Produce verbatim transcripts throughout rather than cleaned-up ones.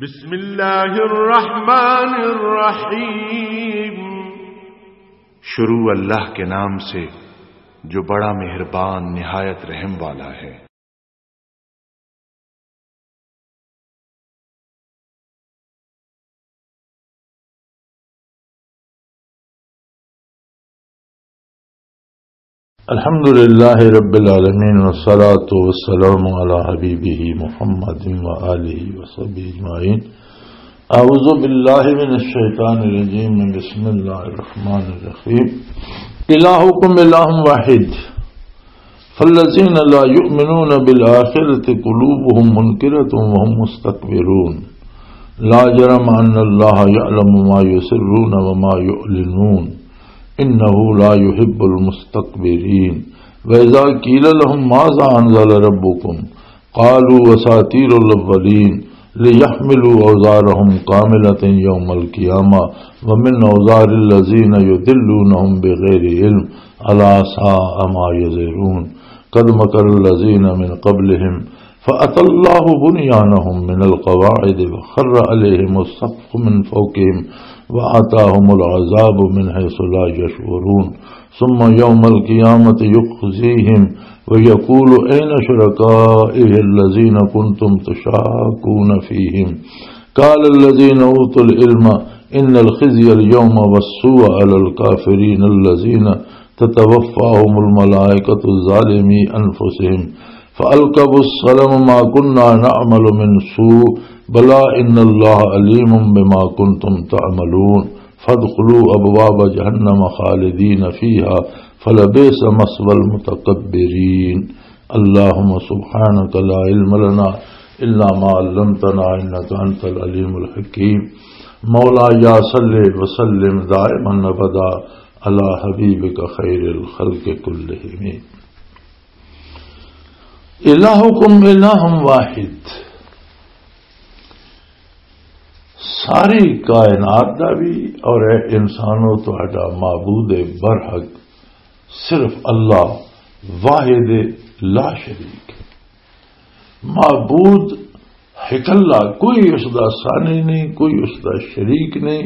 بسم اللہ الرحمن الرحیم۔ شروع اللہ کے نام سے، جو بڑا مہربان، نہایت رحم والا ہے۔ الحمد لله رب العالمين، والصلاة والسلام على حبيبه محمد وآله وصحبه أجمعين. أعوذ بالله من الشيطان الرجيم. بسم الله الرحمن الرحيم. إلهكم إله واحد، فالذين لا يؤمنون بالآخرة قلوبهم منكرة وهم مستكبرون. لا جرم أن الله يعلم ما يسرون وما يعلنون. إنه لا يحب المستكبرين. وإذا قيل لهم ماذا أنزل ربكم قالوا أساطير الأولين ليحملوا أوزارهم كاملة يوم القيامة ومن أوزار الذين يضلونهم بغير علم ألا ساء ما يزرون. قد مكر الذين من قبلهم فأتى الله بنيانهم من القواعد وخر عليهم السقف من فوقهم وأتاهم العذاب من حيث لا يشعرون. ثم يوم القيامة يخزيهم ويقول أين شركائي الذين كنتم تشاكون فيهم قال الذين أوتوا العلم إن الخزي اليوم والسوء على الكافرين الذين تتوفاهم الملائكة ظالمي أنفسهم فألقوا السلم ما كنا نعمل من سوء بلى إن الله عليم بما كنتم تعملون فادخلوا أبواب جهنم خالدين فيها فلبئس مثوى المتكبرين. اللهم سبحانك لا علم لنا إلا ما علمتنا إنك أنت العليم الحكيم. مولاي صل وسلم دائما أبدا على حبيبك خير الخلق كلهم. إلهكم إله واحد. ساری کائنات دا بھی اور اے انسانوں، تہاڈا معبود برحق صرف اللہ واحد لا شریک۔ معبود اکلا، کوئی اس دا ثانی نہیں، کوئی اس دا شریک نہیں،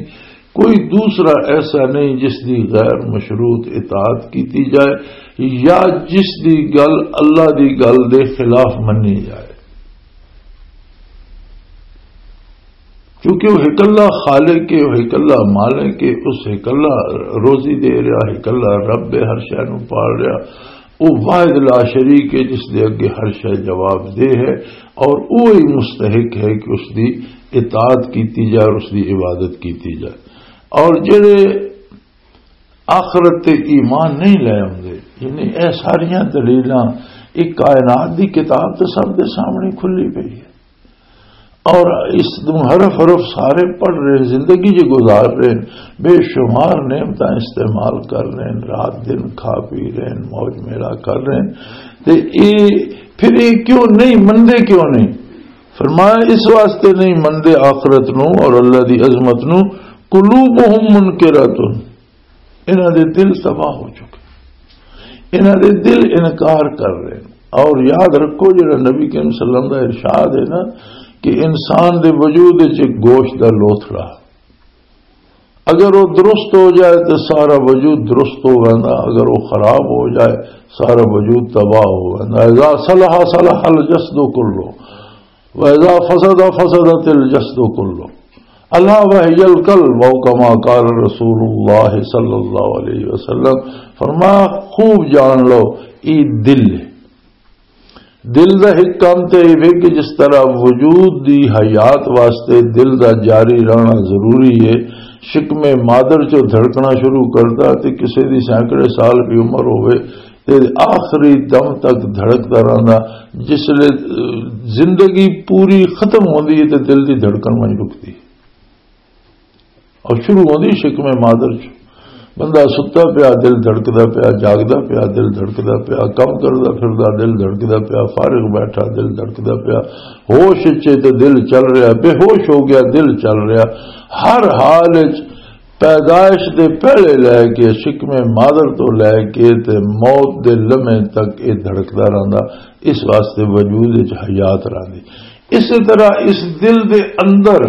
کوئی دوسرا ایسا نہیں جس دی غیر مشروط اطاعت کیتی جائے یا جس دی گل اللہ دی گل دے خلاف منی جائے۔ کیونکہ وہ اکلا خالق ہے، وہ اکلا مالک ہے، اس اکلا روزی دے رہا، اکلا رب ہے، ہر شے نوں پال رہا۔ وہ واحد لا شریک ہے جس دے اگے ہر شے جواب دے ہے، اور وہی مستحق ہے کہ اس دی اطاعت کیتی جائے اور اس دی عبادت کیتی جائے۔ اور جڑے آخرت تے ایمان نہیں لے آندے، یعنی اے ساریاں دلیلاں ایک کائنات دی کتاب تے سب دے سامنے کھلی پئی ہے، اور اس نوں حرف حرف سارے پڑھ رہے ہیں، زندگی جی گزار رہے ہیں، بے شمار نعمتاں استعمال کر رہے ہیں، رات دن کھا پی رہے ہیں، موج میلہ کر رہے ہیں۔ تے اے پھر اے کیوں نہیں مندے، کیوں نہیں؟ فرمایا، اس واسطے نہیں مندے آخرت نو اور اللہ دی عظمت نو۔ قلوبہم منکرۃ، انہاں دے دل تباہ ہو چکے، انہاں دے دل انکار کر رہے ہیں۔ اور یاد رکھو، جڑا نبی کریم صلی اللہ علیہ وسلم دا ارشاد ہے نا، کہ انسان دے وجود وچ ایک گوشت دا لوتھڑا، اگر وہ درست ہو جائے تو سارا وجود درست ہو ویندا، اگر وہ خراب ہو جائے سارا وجود تباہ ہو ویندا۔ اذا صلح صلح الجسد کلو، واذا فسد فسدت الجسد کلو، الا وهي القلب، او کما قال رسول اللہ صلی اللہ علیہ وسلم۔ فرمایا، خوب جان لو، یہ دل ہے۔ دل دا ایک کام تے یہ وے کہ جس طرح وجود دی حیات واسطے دل دا جاری رہنا ضروری ہے، شکم مادر چوں دھڑکنا شروع کردا تے کسے دی سینکڑے سال بھی عمر ہوئے، تے آخری دم تک دھڑکدا رہندا۔ جس لے، اہ، زندگی پوری ختم ہوندی ہے تے دل دی دھڑکن وہیں رکدی ہے۔ اور شروع ہوندی شکم مادر چ۔ بندہ ستا پیا، دل دھڑکدا پیا، جاگدا پیا، دل دھڑکدا پیا، کم کردا پھردا، دل دھڑکدا پیا، فارغ بیٹھا، دل دھڑکدا پیا، ہوش اچ تے دل چل رہا، بے ہوش ہو گیا، دل چل رہا۔ ہر حال اچ پیدائش دے پہلے لے کے، شکم مادر تو لے کے تے موت دے لمحے تک اے دھڑکدا رہندا۔ اس واسطے وجود وچ حیات رہندی۔ اسی طرح اس دل دے اندر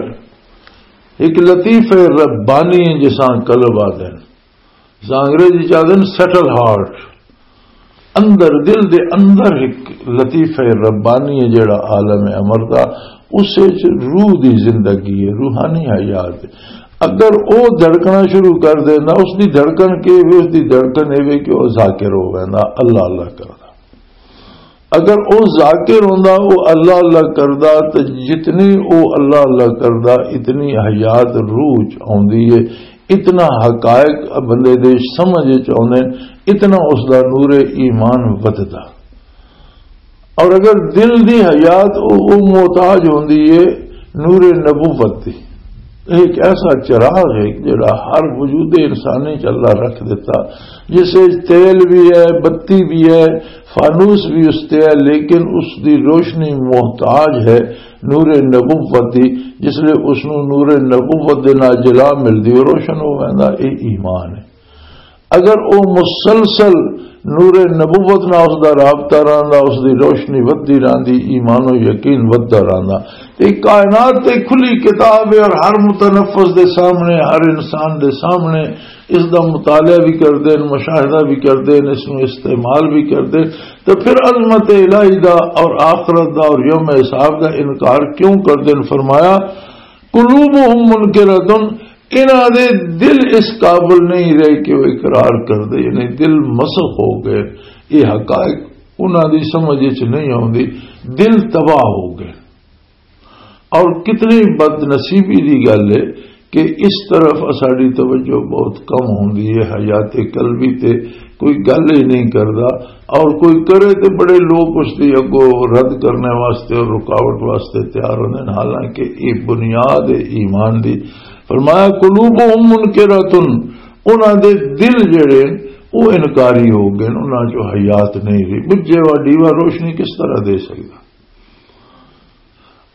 ایک لطیفہ ربانی ہے، جساں قلب آدھے ہیں، جساں انگریزی چ آدھے ہیں سٹل ہارٹ۔ اندر، دل دے اندر ایک لطیفہ ربانی ہے، جڑا عالم امر دا، اس وچ روح دی زندگی ہے، روحانی حیات ہے۔ اگر او دھڑکنا شروع کر دینا، اس دی دھڑکن کے وے؟ اس دی دھڑکن اے وے کہ او ذاکر ہو ویندا، اللہ اللہ کردا۔ اگر او ذاکر ہوندا، او اللہ اللہ کردا، تے جتنی او اللہ اللہ کردا، اتنی حیات روح چ آوندی ہے، اتنا حقائق بندے دے سمجھ چ آوندے، اتنا اس دا نور ایمان ودھدا۔ اور اگر دل دی حیات او، او محتاج ہوندی ہے نور نبوت دی۔ ایک ایسا چراغ ہے جڑا ہر وجود انسانی چ اللہ رکھ دیتا، جس وچ تیل بھی ہے، بتی بھی ہے، فانوس بھی اس تے ہے، لیکن اس دی روشنی محتاج ہے نور نبوت دی۔ جس لئے اس نوں نور نبوت دے نال جلا ملدی، او روشن ہو ویندا۔ اے ایمان ہے۔ اگر او مسلسل نور نبوت نال اس دا رابطہ رہندا، اس دی روشنی ودھدی رہندی، ایمان و یقین ودھدا رہندا، تے کائنات تے کھلی کتاب ہے اور ہر متنفس دے سامنے، ہر انسان دے سامنے اس دا مطالعہ بھی کردے نے، مشاہدہ بھی کردے نے، اس نوں استعمال بھی کردے نے، تو پھر عظمت الہی دا اور آخرت دا اور یوم حساب دا انکار کیوں کردے نے؟ فرمایا، قلوبہم منکرۃ، انہاں دے دل اس قابل نہیں رہے کہ وہ اقرار کر دے، یعنی دل مسخ ہو گئے، یہ حقائق انہاں دی سمجھ وچ نہیں آوندی، دل تباہ ہو گئے۔ اور کتنی بد نصیبی دی گل ہے کہ اس طرف ساڈی توجہ بہت کم ہوندی ہے، حیات قلبی تے کوئی گل ہی نہیں کردا، اور کوئی کرے تے بڑے لوگ اس دی اگوں رد کرنے واسطے اور رکاوٹ واسطے تیار ہوندے نے، حالانکہ یہ بنیاد ہے ایمان دی۔ فرمایا، قلوبہم منکرۃ، انہاں دے دل جڑے او انکاری ہو گئے، انہاں چوں حیات نہیں رہی۔ بجھے وا ڈیوا روشنی کس طرح دے سکدا؟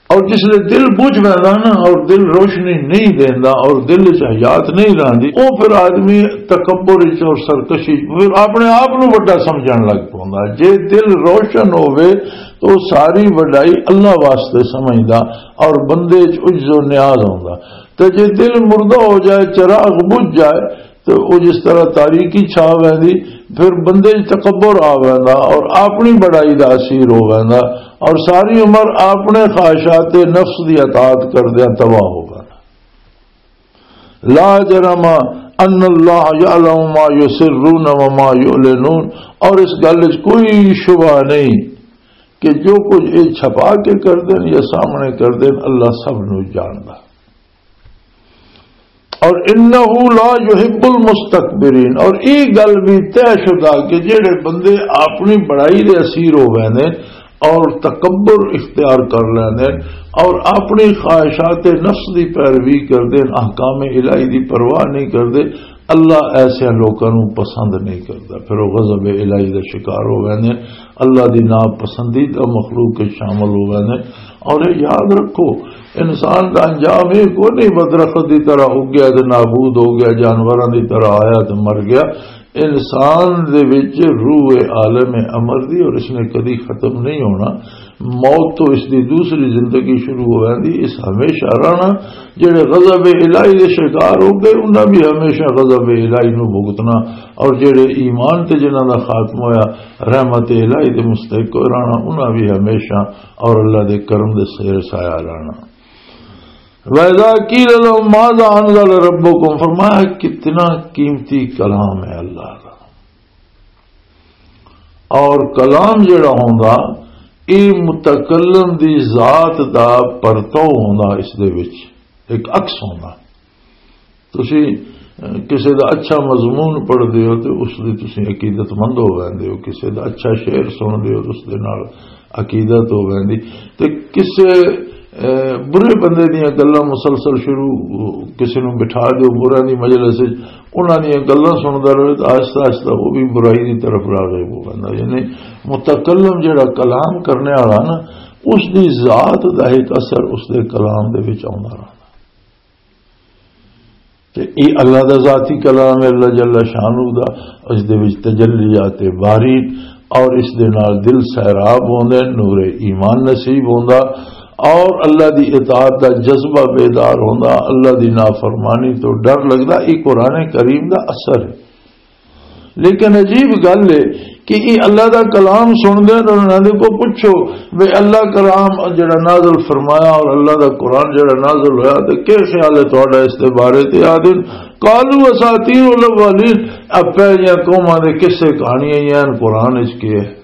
اور جس لئے دل بجھ ویندا نا، اور دل روشنی نہیں دیندا، اور دل وچ حیات نہیں رہندی، او پھر آدمی تکبر وچ اور سرکشی وچ پھر اپنے آپ نوں وڈا سمجھن لگ پوندا۔ جے دل روشن ہووے تو ساری وڈائی اللہ واسطے سمجھدا، اور بندے وچ عجز و نیاز ہوندا۔ تے جے دل مردہ ہو جائے، چراغ بجھ جائے، تو وہ جس طرح تاریکی چھا ویندی، پھر بندے وچ تکبر آ ویندا اور اپنی بڑائی دا اسیر ہو ویندا، اور ساری عمر اپنے خواہشات نفس دی اطاعت کردیاں تباہ ہو ویندا۔ لا جرم ان اللہ یعلم ما یسرون وما یعلنون، اور اس گل وچ کوئی شبہ نہیں کہ جو کچھ یہ چھپا کے کردے نے یا سامنے کردے نے، اللہ سب نو جاندا۔ اور انہ لا یحب المستکبرین، اور یہ گل بھی طے شدہ کہ جڑے بندے اپنی بڑائی دے اسیر ہو گئے نے اور تکبر اختیار کر لیندے اور اپنی خواہشات نفس دی پیروی کردے نے، احکام الہی دی پرواہ نہیں کردے، اللہ ایسے لوکاں نوں پسند نہیں کردا۔ پھر وہ غضب الہی دا شکار ہو گئے نے، اللہ دی ناپسندیدہ مخلوق کے شامل ہو گئے نے۔ اور یہ یاد رکھو، انسان دا انجام یہ کوئی نہیں، وہ درخت دی طرح اگیا تے نابود ہو گیا، جانوراں دی طرح آیا تے مر گیا۔ انسان دے وچ روح عالم امر دی، اور اس نے کدی ختم نہیں ہونا۔ موت تو اس دی دوسری زندگی شروع ہو جاندی، اس ہمیشہ رہنا۔ جڑے غضب الہی دے شکار ہو گئے، انہاں بھی ہمیشہ غضب الہی نو بھگتنا، اور جڑے ایمان تے جنہاں دا خاتمہ ہویا، رحمت الہی دے مستحق رہنا، انہاں بھی ہمیشہ اور اللہ دے کرم دے سیر سایہ رہنا۔ وَإِذَا قِيلَ لَهُمْ مَاذَا أَنزَلَ رَبُّكُمْ، فرمایا، کتنا قیمتی کلام ہے اللہ کا۔ اور کلام جڑا ہوندا، اے متکلم دی ذات دا پرتو ہوندا، اس دے وچ ایک عکس ہوندا۔ تسی، اہ، کسے دا اچھا مضمون پڑھدے ہو تے اس دی تسی عقیدت مند ہو ویندے ہو، کسے دا اچھا شعر سن دے ہو تے اس دے نال عقیدت ہو ویندی۔ تے کسے، اے، برے بندے دیاں گلاں مسلسل شروع، کسے نوں بٹھا دیو برے دی مجلس وچ، انہاں دیاں گلاں سندا رہے تے آہستہ آہستہ وہ بھی برائی دی طرف راغب ہو ویندا۔ یعنی متکلم جڑا کلام کرنے والا نا، اس دی ذات دا ایک اثر اس دے کلام دے وچ آوندا رہندا۔ تے اے اللہ دا ذاتی کلام ہے، اللہ جل شانہ دا، اس دے وچ تجلیات باری، اور اس دے نال دل سیراب ہوندے، نور ایمان نصیب ہوندا، اور اللہ دی اطاعت دا جذبہ بیدار ہوندا، اللہ دی نافرمانی تو ڈر لگدا۔ یہ قرآن کریم دا اثر ہے۔ لیکن عجیب گل ہے کہ یہ اللہ دا کلام سن دے اور انہاں دے کو پوچھو، وے اللہ کلام جڑا نازل فرمایا اور اللہ دا قرآن جڑا نازل ہویا، تے کیا خیال ہے تہاڈا اس دے بارے؟ تے آدن، قالوا اساطیر الاولین، اب پہلیاں قوماں دے قصے کہانیاں ہی ہیں، قرآن وچ کی ہے؟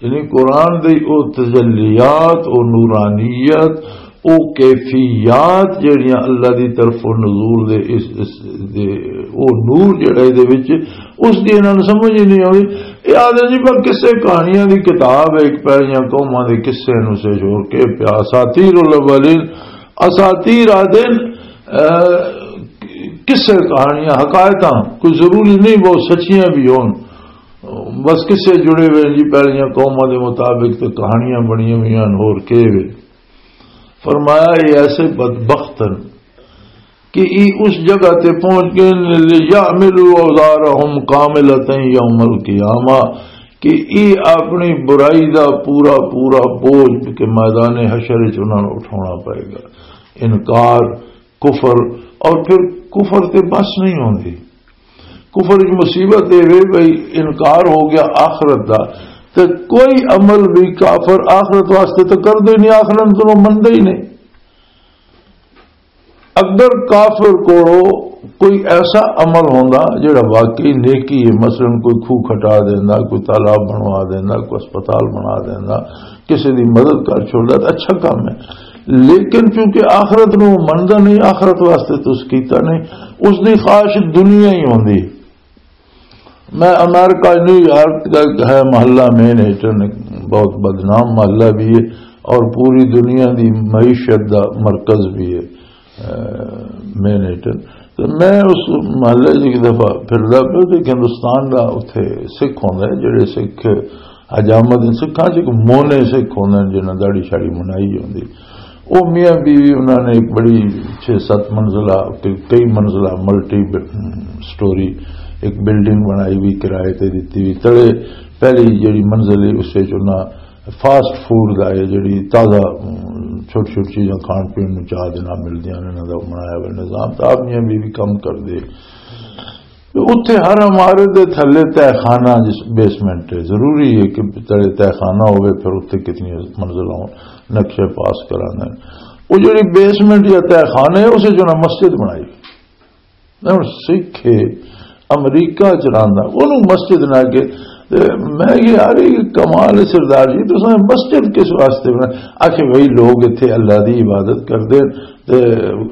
یعنی قرآن دی او تجلیات، او نورانیت، او کیفیات جڑیاں اللہ دی طرفوں نزول دے اس، اس دے، او نور جڑا اے دے وچ، اس دی انہاں نوں سمجھ ہی نہیں آوی۔ اے آدھے جی، پر قصے کہانیاں دی کتاب ہے، ایک پہلیاں قوماں دے قصے نوں سے جوڑ کے پیا، اساطیر الاولین، اساطیر آدھے، اہ، قصے کہانیاں، حکایتاں، کوئی ضروری نہیں وہ سچیاں بھی ہون۔ بس قصے جڑے ہوئے ہیں جی، پہلیاں قوماں دے مطابق تے کہانیاں بنیاں ہوئی ہیں، ہور کے وے۔ فرمایا، یہ ایسے بدبخت ہیں کہ ای اس جگہ تے پہنچ گئے، لِيَحْمِلُوا أَوْزَارَهُمْ كَامِلَةً يَوْمَ الْقِيَامَةِ، کہ ای اپنی برائی دا پورا پورا بوجھ کہ میدان حشر وچ انہاں نوں اٹھانا پائے گا۔ انکار، کفر، اور پھر کفر تے بس نہیں ہوندی۔ کفر وچ مصیبت اے وے بھئی، انکار ہو گیا آخرت دا، تے کوئی عمل بھی کافر آخرت واسطے تو کردے ہی نہیں، آخرت نوں مندا ہی نہیں۔ اگر کافر کولوں کوئی ایسا عمل ہوندا جڑا واقعی نیکی ہے، مثلاً کوئی کھوہ کھٹا دیندا، کوئی تالاب بنوا دیندا، کوئی اسپتال بنا دیندا، کسی دی مدد کر چھوڑدا، تے اچھا کام ہے۔ لیکن چونکہ آخرت نوں مندا نہیں، آخرت واسطے تو اس کیتا نہیں، اس دی خواہش دنیا ہی ہوندی۔ میں امریکہ نیویارک کا ایک ہے محلہ مین ہیٹن، بہت بدنام محلہ بھی ہے اور پوری دنیا دی معیشت دا مرکز بھی ہے، اہ، مین ہیٹن۔ تو میں اس محلے 'چ ایک دفعہ پھردا پیا تے ہندوستان دا اتھے سکھ ہوندا ہے، جڑے سکھ حجامت سکھاں 'چ ایک مونے سکھ ہوندے نے جنہاں داڑھی شاڑھی منائی ہوندی۔ او میاں بیوی انہاں نے ایک بڑی چھ ست منزلہ، کئی منزلہ ملٹی ب-، سٹوری ایک بلڈنگ بنائی ہوئی، کرائے تے دتی ہوئی۔ تلے پہلی جڑی منزل ہے، اس وچ انہاں فاسٹ فوڈ دا ہے، جڑی تازہ، ام، چھوٹی چھوٹی چیزاں کھان پین نوں چاہ دے نال ملدیاں نے، انہاں دا بنایا ہوا نظام۔ تے آپ میاں بیوی کم کردے۔ تے اتھے ہر عمارت دے تھلے تہہ خانہ، جس بیسمنٹ ہے، ضروری ہے کہ تلے تہہ خانہ ہوئے، پھر اتھے کتنی منزل ہون، نقشے پاس کرانا ہے۔ وہ جڑی بیسمنٹ یا تہہ خانہ ہے، اسے جو نا مسجد بنائی۔ میں ہن سکھ ہے، امریکہ چ رہندا، انہوں مسجد نہ کہ، تے میں کہ یار، یہ کمال ہے سردار جی، تساں مسجد کس واسطے بنا؟ آکھے بھائی، لوگ اتھے اللہ دی عبادت کردے، تے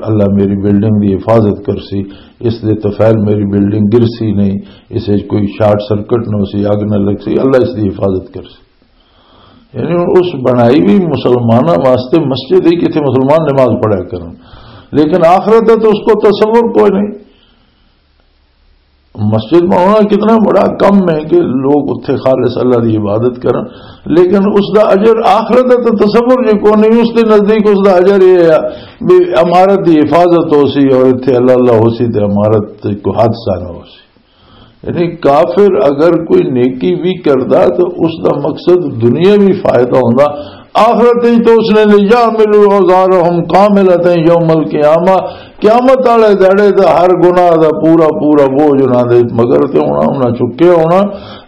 اللہ میری بلڈنگ دی حفاظت کرسی، اس دے طفیل میری بلڈنگ گرسی نہیں، اس وچ کوئی شارٹ سرکٹ نہ ہوسی، اگ نہ لگسی، اللہ اس دی حفاظت کرسی۔ یعنی ہن اس بنائی بھی مسلماناں واسطے مسجد ہے کہ اتھے مسلمان نماز پڑھا کرن، لیکن آخرت دا تو اس کو تصور کوئی نہیں۔ مسجد میں ہونا کتنا بڑا کم ہے کہ لوگ اتھے خالص اللہ دی عبادت کرن، لیکن اس دا اجر، آخرت دا تو تصور جو کو نہیں، اس دے نزدیک اس دا اجر یہ ہے بھی عمارت دی حفاظت ہو سی اور اتھے اللہ اللہ ہو سی تے عمارت تے کوئی حادثہ نہ ہو سی۔ یعنی کافر اگر کوئی نیکی بھی کردا تو اس دا مقصد دنیاوی فائدہ ہوندا، آخرت وچ تو اس نے، لِيَحْمِلُوا أَوْزَارَهُمْ كَامِلَةً يَوْمَ الْقِيَامَةِ، قیامت والے دہاڑے دا ہر گناہ دا پورا پورا بوجھ انہاں دے مگر تے ہونا، انہاں چکے ہونا۔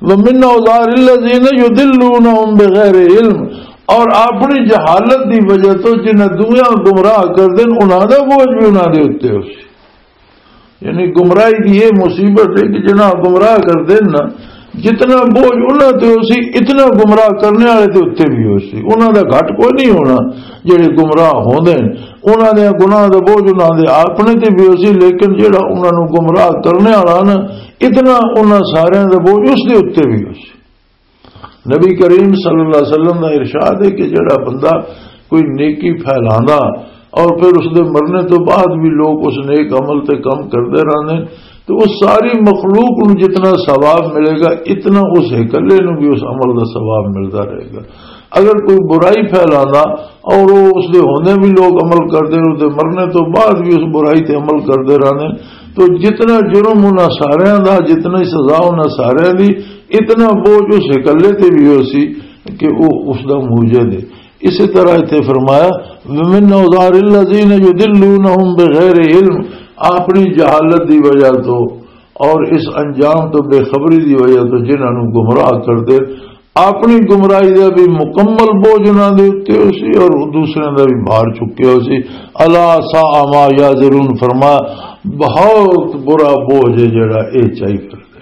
وَمِنْ أَوْزَارِ الَّذِينَ يُضِلُّونَهُمْ بِغَيْرِ عِلْمٍ، اور اپنی جہالت دی وجہ تو جنہاں دویاں گمراہ کر دین، انہاں دا بوجھ بھی انہاں دے اُتے ہو سی۔ یعنی گمراہی دی یہ مصیبت ہے کہ جنہاں گمراہ کر دین نا، جتنا بوجھ انہاں تے ہو سی، اتنا گمراہ کرنے والے تے اُتے بھی ہو سی۔ انہاں دا گھٹ کوئی نہیں ہونا، جڑے گمراہ ہوندے نے۔ انہاں دے گناہ دا بوجھ انہاں دے اپنے تے بھی ہو سی، لیکن جڑا انہاں نوں گمراہ کرنے والا نا، اتنا انہاں سارے دا بوجھ اس دے اُتے بھی ہو سی۔ نبی کریم صلی اللہ علیہ وسلم دا ارشاد ہے کہ جڑا بندہ کوئی نیکی پھیلاندا اور پھر اس دے مرنے تو بعد بھی لوگ اس نیک عمل تے کم کردے رہندے، تو اس ساری مخلوق نوں جتنا ثواب ملے گا، اتنا اس اکلے نوں بھی اس عمل دا ثواب ملدا رہے گا۔ اگر کوئی برائی پھیلاندا اور وہ اس دے ہوندے بھی لوگ عمل کردے، اس دے مرنے تو بعد بھی اس برائی تے عمل کردے رہندے، تو جتنا جرم انہاں ساریاں دا، جتنی سزا انہاں ساریاں دی، اتنا بوجھ اس اکلے تے بھی ہو سی کہ وہ اس دا موجد ہے۔ اسی طرح اتنے فرمایا، "ومن اوزار الذین یضلونہم بغیر علم"، اپنی جہالت دی وجہ تو اور اس انجام تو بے خبری دی وجہ تو جنہاں نوں گمراہ کر دے، اپنی گمراہی دا بھی مکمل بوجھ انہاں دے اُتے ہو سی اور دوسرے دا بھی بھار چکے ہو سی۔ الا ساء ما یزرون، فرمایا، بہت برا بوجھ ہے جڑا اے چائی کر دے۔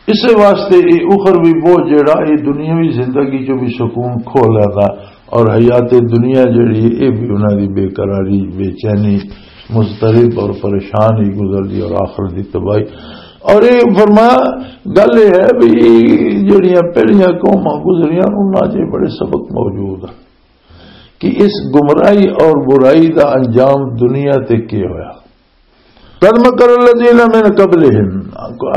اس واسطے یہ اخروی بوجھ جڑا، یہ دنیاوی زندگی چوں بھی سکون کھو لینا، اور حیات دنیا جڑی، یہ بھی انہاں دی بے قراری، بے چینی، مضطرب اور پریشان ہی گزر دی، اور آخرت دی تباہی۔ اور یہ فرمایا، گل یہ ہے بھی جڑیاں پہلیاں قوماں گزریاں، انہاں 'چ بڑے سبق موجود ہیں کہ اس گمراہی اور برائی دا انجام دنیا تے کی ہویا۔ قد مکر الذین من قبلہم،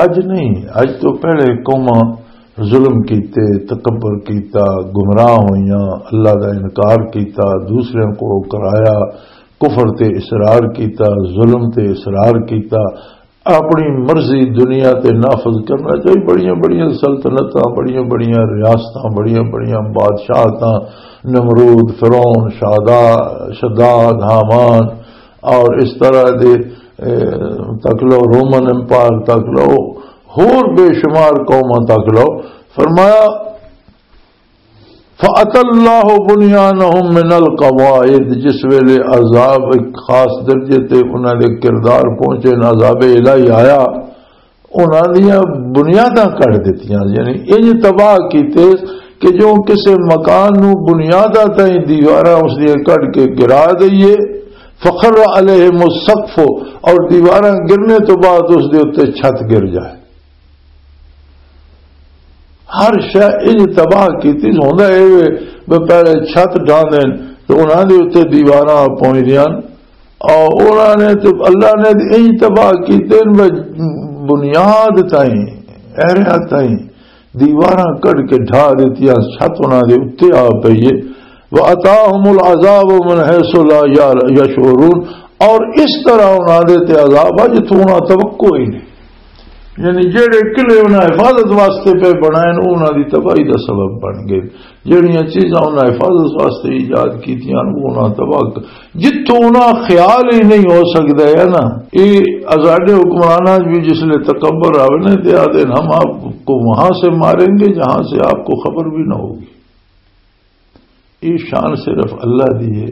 اج نہیں، اج تو پہلے قوماں ظلم کیتے، تکبر کیتا، گمراہ ہوئیاں، اللہ دا انکار کیتا، دوسرے کو کرایا، کفر تے اصرار کیتا، ظلم تے اصرار کیتا، اپنی مرضی دنیا تے نافذ کرنا چاہیے۔ بڑیاں بڑیاں سلطنتاں، بڑیاں بڑیاں ریاستاں، بڑیاں بڑیاں بادشاہتاں، نمرود، فرعون، شادا-، شداد، ہامان، اور اس طرح دے، اے، تک لو، رومن امپائر تک لو، ہور بے شمار قوماں تک لو۔ فرمایا، فَأَتَى اللَّهُ بُنْيَانَهُمْ مِنَ الْقَوَاعِدِ، جس ویلے عذاب ایک خاص درجے تے انہاں دے کردار پہنچے، عذاب الہی آیا، انہاں دیاں بنیاداں کڈ دتیاں، یعنی انج تباہ کیتے کہ جو کسے مکان نو بنیاداں تائیں دیواراں اس دیاں کڈ کے گرا دئیے، فخر علیہم السقف، اور دیواراں گرنے تو بعد اس دے اُتے چھت گر جائے۔ ہر شے انج تباہ کیتی، ہوندا اے وے، بے پہلے چھت ڈھا دین تے انہاں دے اُتے دیواراں پہنچدیاں، اور انہاں نے تے اللہ نے تے انج تباہ کیتے نے، بے بنیاد تائیں، ایریا تائیں دیواراں کڈ کے ڈھا دتیاں، چھت انہاں دے اُتے آ پئی اے۔ وَأَتَاهُمُ الْعَذَابُ مِنْ حَيْثُ لَا يَشْعُرُونَ، اور اس طرح انہاں دے تے عذاب آ جتھوں انہاں توقع ہی نہیں۔ یعنی جڑے قلعے انہاں حفاظت واسطے پہ بنائے نے، انہاں دی تباہی دا سبب بن گئے۔ جڑیاں چیزاں انہاں حفاظت واسطے ایجاد کیتیاں نے، وہ انہاں تباہ ک-، جتھوں انہاں خیال ہی نہیں ہو سکدا ہے نا۔ یہ آزادے حکمراناں بھی جس لے تکبر آوے نا، تے آدھے، "ہم آپ کو وہاں سے ماریں گے جہاں سے آپ کو خبر بھی نہ ہوگی۔" یہ شان صرف اللہ دی ہے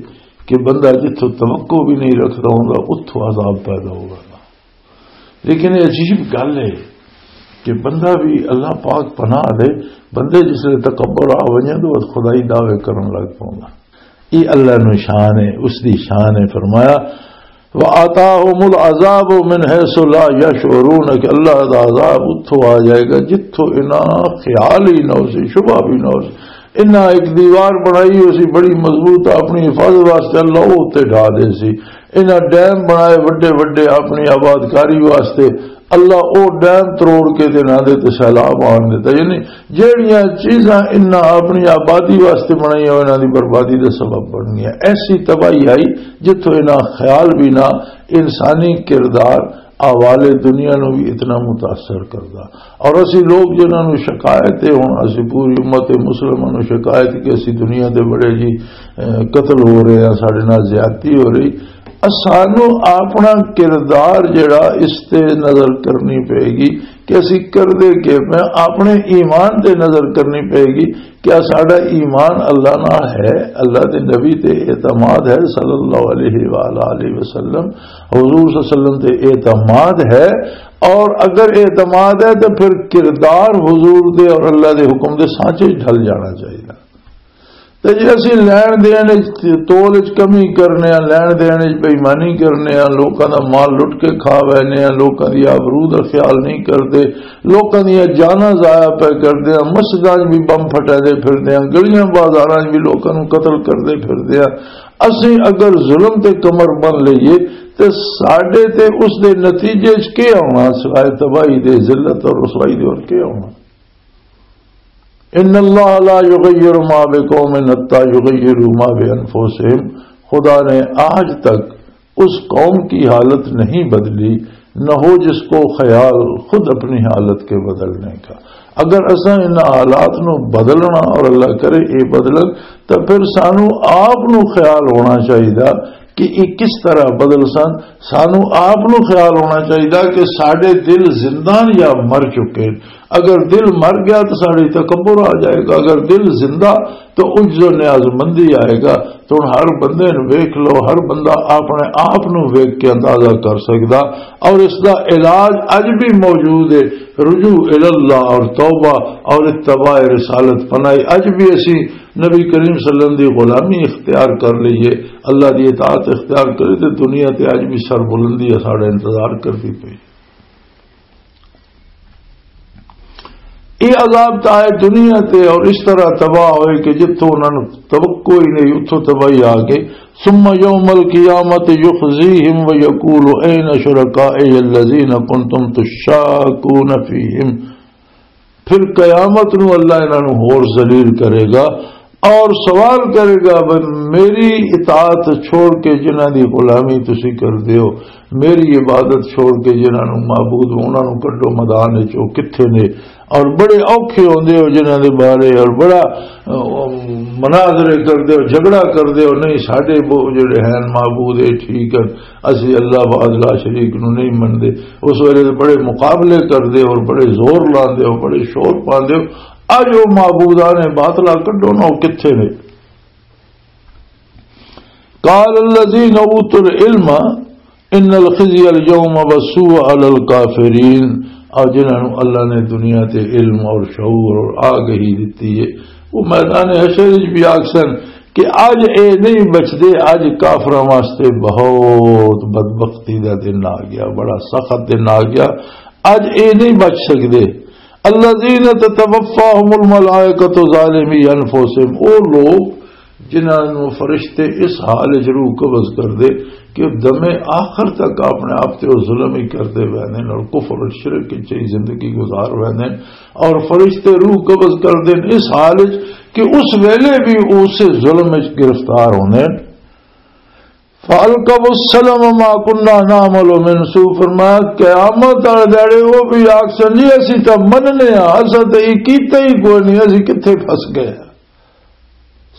کہ بندہ جتھوں توقع بھی نہیں رکھدا ہوندا، اتھوں عذاب پیدا ہوگا۔ لیکن یہ عجیب گل ہے کہ بندہ بھی اللہ پاک پناہ دے، بندے جس لے تکبر آ ونجے تو خدائی دعوے کرن لگ پوندا۔ یہ اللہ نو شان ہے، اس دی شان ہے۔ فرمایا، وَآتَاهُمُ الْعَذَابُ مِنْ حَيْثُ لَا يَشْعُرُونَ، کہ اللہ دا عذاب اتھوں آ جائے گا جتھوں انہاں خیال ہی نہ ہو سی، شبہ بھی نہ ہو سی۔ انہاں ایک دیوار بنائی ہو سی بڑی مضبوط، اپنی حفاظت واسطے اللہ او تے ڈھا دے سی۔ انہاں ڈیم بنائے وڈے وڈے اپنی آبادکاری واسطے، اللہ او ڈیم تروڑ کے تے انہاں دے تے سیلاب آن دیتا۔ یعنی جہڑیاں چیزاں انہاں اپنی آبادی واسطے بنائیاں، انہاں دی بربادی دا سبب بن گیا۔ ایسی تباہی آئی جتھوں انہاں خیال بھی نہ، انسانی کردار احوال دنیا نو بھی اتنا متاثر کردا۔ اور اسی لوگ جنہاں نو شکایت ہے، ہن اسی پوری امت مسلمہ نو شکایت کہ اسی دنیا دے بڑے جی، اے، قتل ہو رہے ہیں، ساڈے نال زیادتی ہو رہی۔ اسانو اپنا کردار جڑا اس تے نظر کرنی پئے گی کہ اسی کردے کے پے، اپنے ایمان تے نظر کرنی پئے گی۔ کیا ساڈا ایمان اللہ نال ہے؟ اللہ دے نبی تے اعتماد ہے صلی اللہ علیہ وآلہ وسلم، حضور صلی اللہ علیہ وسلم تے اعتماد ہے؟ اور اگر اعتماد ہے تو پھر کردار حضور دے اور اللہ دے حکم دے سانچے ڈھل جانا چاہیے۔ تے جے اسی لین دین وچ تول وچ کمی کرنے آں، لین دین وچ بے ایمانی کرنے آں، لوکاں دا مال لٹ کے کھا وینے آں، لوکاں دی آبرو دا خیال نہیں کردے، لوکاں دیاں جاناں ضائع پہ کردے آں، مسجداں وچ بھی بم پھٹے دے پھردے آں، گلیاں بازاراں وچ بھی لوکاں نوں قتل کردے پھردے آں۔ اسی اگر ظلم تے کمر بن لئیے تے ساڈے تے اس دے نتیجے وچ کی آنا سوائے تباہی دے، ذلت اور رسوائی دے، اور کی آنا؟ ان اللہ لا یغیر ما بقوم حتی یغیروا ما بانفسہم، خدا نے آج تک اس قوم کی حالت نہیں بدلی نہ ہو جس کو خیال خود اپنی حالت کے بدلنے کا۔ اگر اساں ان حالات نو بدلنا اور اللہ کرے یہ بدلن، تو پھر سانو آپ نو خیال ہونا چاہیے کہ یہ کس طرح بدل سن۔ سانو آپ نو خیال ہونا چاہیے کہ ساڈے دل زندہ یا مر چکے۔ اگر دل مر گیا تو ساڈے تکبر آ جائے گا، اگر دل زندہ تو عجز و نیاز مندی آئے گا۔ تو ہن ہر بندے نوں ویکھ لو، ہر بندہ اپنے آپ نوں ویکھ کے اندازہ کر سکدا۔ اور اس دا علاج اج بھی موجود ہے، رجوع الی اللہ اور توبہ اور اتباع رسالت پناہی۔ اج بھی اسی نبی کریم صلی اللہ علیہ وسلم دی غلامی اختیار کر لئیے، اللہ دی اطاعت اختیار کرے، تے دنیا تے اج بھی سربلندی ساڈا انتظار کردی پئی۔ یہ عذاب تو آئے دنیا تے اور اس طرح تباہ ہوئے کہ جتھوں انہاں نوں توقع ہی نہیں، اتھوں تباہی آ گئی۔ ثم یوم القیامت یخزیہم ویقول این شرکائی الذین کنتم تشاکون فیہم۔ پھر قیامت نو اللہ انہاں نوں ہور ذلیل کرے گا اور سوال کرے گا، "بھئی، میری اطاعت چھوڑ کے جنہاں دی غلامی تسی کردے ہو، میری عبادت چھوڑ کے جنہاں نوں معبود، انہاں نوں کڈو میدان وچ، او کتھے نے؟" اور بڑے اوکھے ہوندے ہو جنہاں دے بارے، اور بڑا، اہ، مناظرے کردے ہو، جھگڑا کردے ہو، "نہیں، ساڈے وہ جڑے ہیں معبود، اے ٹھیک ہے، اسی اللہ وحدہ لا شریک نو نہیں مندے۔" اس ویلے تے بڑے مقابلے کردے ہو، بڑے زور لاندے ہو، بڑے شور پاندے ہو۔ اج او معبودان باطلا کڈو نہ، او کتھے نے؟ قال الذین اوتوا العلم ان الخزی الیوم والسوء علی الکافرین۔ اور جنہاں نوں اللہ نے دنیا تے علم اور شعور اور آگہی دتی ہے، وہ میدان حشر وچ بھی آکھسن کہ اج اے نہیں بچدے، اج کافراں واسطے بہت بدبختی دا دن آ گیا، بڑا سخت دن آ گیا، اج اے نہیں بچ سکدے۔ الذین تتوفاہم الملائکۃ ظالمی انفسہم، او لوگ جنہاں نوں فرشتے اس حال وچ روح قبض کر دے کہ دمے آخر تک اپنے آپ تے او ظلم ہی کردے ویندے نے اور کفر اور شرک وچ ہی زندگی گزار ویندے نے، اور فرشتے روح قبض کر دین اس حال وچ کہ اس ویلے بھی اسے ظلم وچ گرفتار ہوندے نے۔ فَأَلْقَوْا السَّلَمَ مَا كُنَّا نَعْمَلُ مِنْ سُوءٍ، فرمایا، قیامت والے دہاڑے وہ بھی آکھسن، "جی، اسی تاں مننے ہاں، اساں تاں یہ کیتا ہی کوئی نہیں، اسی کتھے پھس گئے ہاں؟"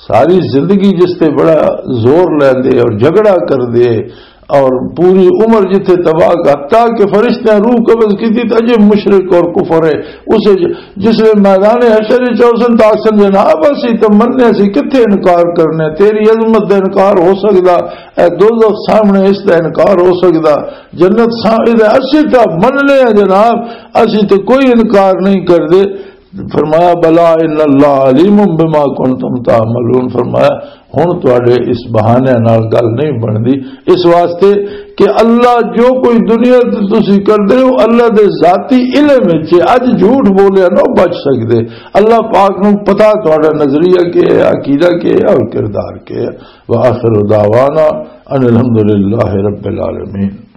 ساری زندگی جس تے بڑا زور لیندے اور جھگڑا کردے اور پوری عمر جتھے تباہ کر، حتیٰ کہ فرشتیاں روح قبض کیتی، تے اجے مشرک اور کفر ہے، اسے ج-، جس ویلے میدان حشر وچ آسن تاں آکھسن، "جناب، اسی تاں مننے، اسی کتھے انکار کرنے؟ تیری عظمت دا انکار ہو سکدا؟ اے دوزخ سامنے، اس دا انکار ہو سکدا؟ جنت سامنے، اسی تاں مننے ہیں جناب، اسی تے کوئی انکار نہیں کردے۔" فرمایا، "بلا ان اللہ علیم بما کنتم تعملون۔" فرمایا، "ہن تواڈے اس بہانے نال گل نہیں بندی، اس واسطے کہ اللہ جو کوئی دنیا تے تسی کردے ہو، اللہ دے ذاتی علم وچ ہے۔ اج جھوٹ بولیا نہ بچ سکدے۔" اللہ پاک نوں پتہ تہاڈا نظریہ کی ہے، عقیدہ کی ہے اور کردار کی ہے۔ وآخر دعوانا ان الحمدللہ رب العالمین۔